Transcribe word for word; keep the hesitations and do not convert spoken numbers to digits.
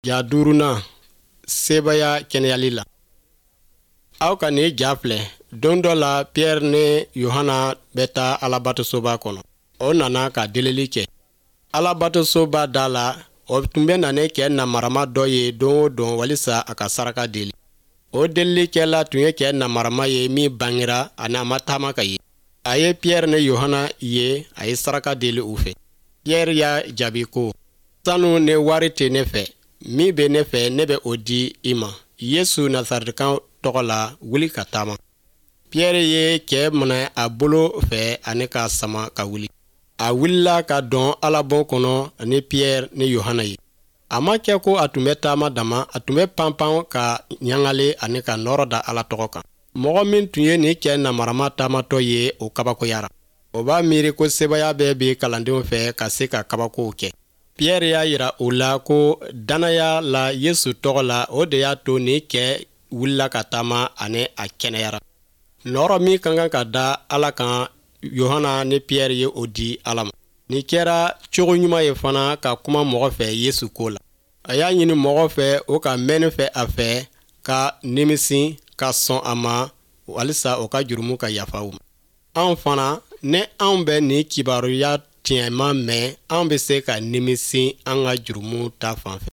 Ja duurunan, sebaaya kɛnɛyali la. Aw ka nin ja filɛ. Don dɔ la, Piyɛri ni Yohana bɛ taa Alabatosoba kɔnɔ. O nana ka delili kɛ Alabatosoba da la. O tun bɛ na ne cɛ namarama dɔ ye don o don walisa a ka saraka deli. O delilikɛla tun ye cɛ namarama ye min bangera ani a ma taama ka ye. A ye Piyɛri ni Yohana ye, a ye saraka deli u fɛ. Piyɛri y'a jaabi ko: "Sanu ni wari tɛ ne fɛ. Min bɛ ne fɛ, ne bɛ o di i ma. Yesu Nasaretikan tɔgɔ la, wuli ka taama." Piyɛri ye cɛ minɛ a bolo fɛ ani k'a sama ka wuli. A wulila ka don Alabon kɔnɔ ni Piyɛri ni Yohana ye. A ma kɛ ko a tun bɛ taama dama, a tun bɛ panpan ka ɲagale ani ka nɔɔrɔ da Ala tɔgɔ kan. Mɔgɔ min tun ye nin cɛ namarama taamatɔ ye, o kabakoyara. O b'a miiri ko sebaaya bɛɛ bɛ kalandenw fɛ ka se ka kabakow kɛ. Piyɛri y'a yira u la ko dannaya la Yesu tɔgɔ la, o de y'a to nin cɛ wulila ka taama ani a kɛnɛyara. Nɔɔrɔ min ka kan ka da Ala kan, Yohana ni Piyɛri ye o di Ala ma. Nin kɛra cogo ɲuman ye fana ka kuma mɔgɔ fɛ Yesu ko la. A y'a ɲini mɔgɔ fɛ o ka mɛnni fɛ a fɛ ka nimisi ka sɔn a ma walisa o ka jurumu ka yafa u ma. Anw fana, ni anw bɛ nin kibaruya tiɲɛma mɛn, an bɛ se ka nimisi an ka jurumu ta fan fɛ.